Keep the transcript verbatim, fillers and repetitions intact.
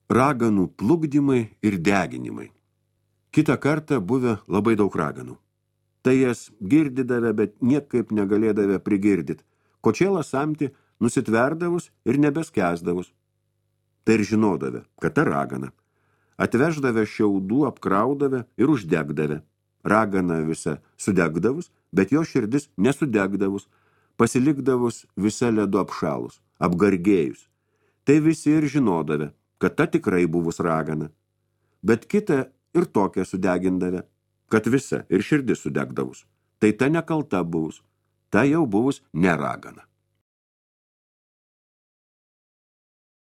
Raganų plukdymai ir deginimai. Kitą kartą buvę labai daug raganų. Tai jas girdydavę, bet niekaip negalėdavę prigirdyt. Kočėlą samti nusitverdavus ir nebeskesdavus. Tai ir žinodavę, kad ta ragana. Atveždavę šiaudų, apkraudavę ir uždegdavę. Ragana visa sudegdavus, bet jo širdis nesudegdavus, pasilikdavus visa ledu apšalus, apgargėjus. Tai visi ir žinodavę, kad ta tikrai buvus ragana. Bet kitą ir tokią sudegindavę, kad visa ir širdis sudegdavus. Tai ta nekalta buvus, ta jau buvus neragana.